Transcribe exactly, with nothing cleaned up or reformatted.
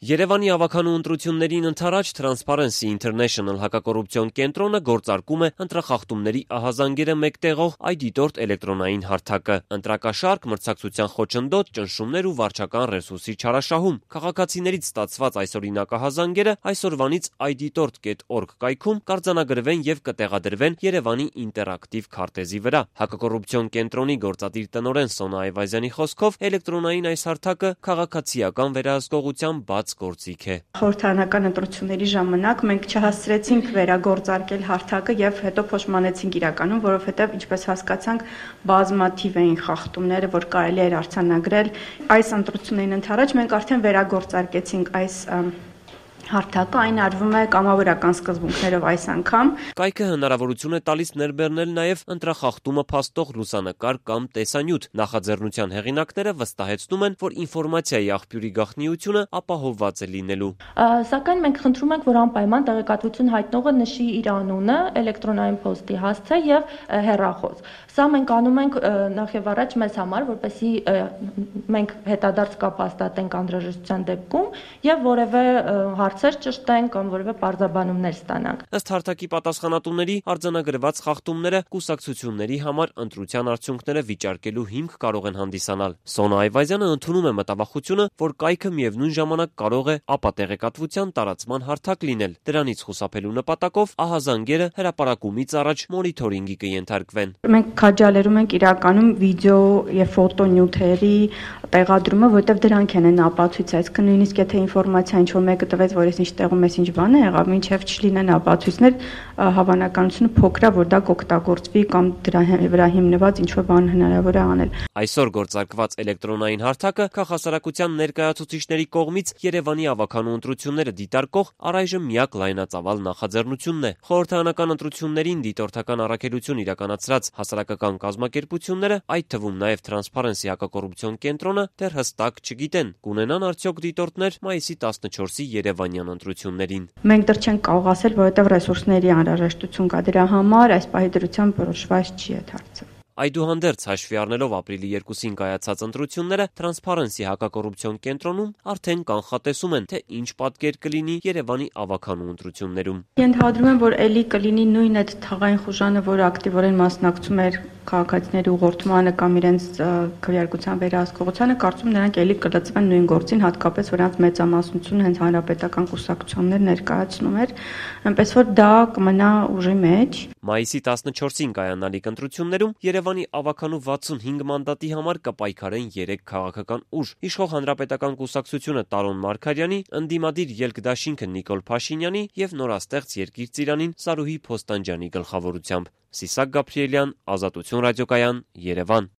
Երևանի ավականու ընտրություններին ընդառաջ Transparency International հակակոռուպցիոն կենտրոնը գործարկում է ընտրախախտումների ահազանգերը մեկտեղող այդիտորտ էլեկտրոնային հարթակը։ Ընտրակաշարք, մրցակցության խոչընդոտ, ճնշումներ ու վարչական ռեսուրսի չարաշահում։ Քաղաքացիներից ստացված այսօրինակ ահազանգերը այսօրվանից այդիտորտ կետ օրգ կայքում կարձանագրվեն եւ կտեղադրվեն Երևանի ինտերակտիվ քարտեզի վրա։ Հակակոռուպցիոն կենտրոնի գործադիր տնօրեն Սոնա Այվազյանի խոսքով էլեկտրոնային այս հարթակը քաղաքացիական վերահսկողության բաց գործիք է։ Խորհրդարանական ընտրությունների ժամանակ մենք չհասցրեցինք վերագործարկել հարթակը եւ հետո փոշմանեցինք իրականում, որովհետեւ ինչպես հասկացանք, բազմաթիվ էին խախտումները, որ կարելի էր արձանագրել։ Այս ընտրություններին ընդառաջ մենք արդեն վերագործարկեցինք այս հարթակը, այն արվում է կամավորական սկզբունքներով այս անգամ։ Կայքը հնարավորություն է տալիս ներբեռնել նաև ընտրախախտումը փաստող լուսանկար կամ տեսանյութ։ Նախաձեռնության հեղինակները վստահեցնում են, որ ինֆորմացիայի աղբյուրի գաղտնիությունը ապահովված է լինելու։ Սակայն մենք խնդրում ենք, որ անպայման տեղեկատվություն հայտնողը նշի իր անունը, էլեկտրոնային փոստի հասցե եւ հեռախոս։ Սա մենք անում ենք նախ եւ առաջ մեզ համար, որպեսզի մենք հետադարձ կապ հաստատենք անհրաժեշտության դեպքում եւ որևէ հարցեր ճշտենք կամ որևէ պարզաբանումներ ստանանք։ Ըստ հարթակի պատասխանատուների, արձանագրված խախտումները կուսակցությունների համար ընտրության արդյունքները վիճարկելու հիմք կարող են հանդիսանալ։ Սոնա Այվազյանը ընդունում է մտավախությունը, որ կայքը միևնույն ժամանակ կարող է ապատեղեկատվության տարածման հարթակ լինել։ Դրանից խուսափելու նպատակով ահազանգերը հրապարակումից առաջ մոնիթորինգի կենթարկվեն։ Մենք քաջալերում ենք իրականում վիդեո եւ ֆոտո նյութերի տեղադրումը, որտեղ դրանք են ապացույց, այսինքն նույնիսկ եթե ինֆորմացիա ինչ որ մեկը տվեց, որ ես ինչ տեղում ես ինչ բան է եղավ, մինչև չլինեն ապացույցներ, հավանականությունը փոքր է, որ դա կօգտագործվի կամ դրա վրա հիմնված ինչ որ բան հնարավոր է անել։ Այսօր գործարկված էլեկտրոնային հարթակը քաղաքասարակության ներկայացուցիչների կողմից Երևանի ավականու ընտրությունները դիտարկող առայժմ միակ լայնածավալ նախաձեռնությունն է։ Խորհրդարանական ընտրություններին դիտորդական առաքելություն իրականացրած հասարակական կազմակերպությունները, այդ թվում նաև Transparency հակակոռուպցիոն կենտրոնը, դեռ հստակ չգիտեն՝ կունենան արդյոք դիտորդներ մայիսի տասնչորսի երևանյան ընտրություններին։ Մենք դեռ չենք կարող ասել, որովհետև ռեսուրսների անհրաժեշտություն կա դրա համար, այս պահի դրությամբ որոշված չի այդ հարցը։ Այդուհանդերձ հաշվի առնելով ապրիլի երկուսին կայացած ընտրությունները, Transparency հակակոռուպցիոն կենտրոնում արդեն կանխատեսում են, թե ինչ պատկեր կլինի Երևանի ավականու ընտրություններում։ Ենթադրում եմ, որ ելի կլինի նույն այդ թաղային խուժանը, որը ակտիվորեն մասնակցում էր քաղաքացիների ուղղորդմանը կամ իրենց քվեարկության վերահսկողությանը, կարծում նրանք ելի կլծվեն նույն գործին, հատկապես որ նրանց մեծամասնությունը հենց հանրապետական կուսակցություններ ներկայացնում էր, այնպես որ դա կմնա ուժի մեջ։ Մայիսի տասնչորսին կայանալիք ընտրություններում Երևանի ավականու վաթսունհինգ մանդատի համար կպայքարեն երեք քաղաքական ուժ՝ իշխող հանրապետական կուսակցությունը Տարոն Մարգարյանի, ընդդիմադիր Ելք դաշինքը Նիկոլ Փաշինյանի եւ նորաստեղծ Երկիր ծիրանին Սարուհի Փոստանջյանի գլխավորությամբ։ Սիսակ Գաբրիելյան, Ազատություն ռադիոկայան, Երևան։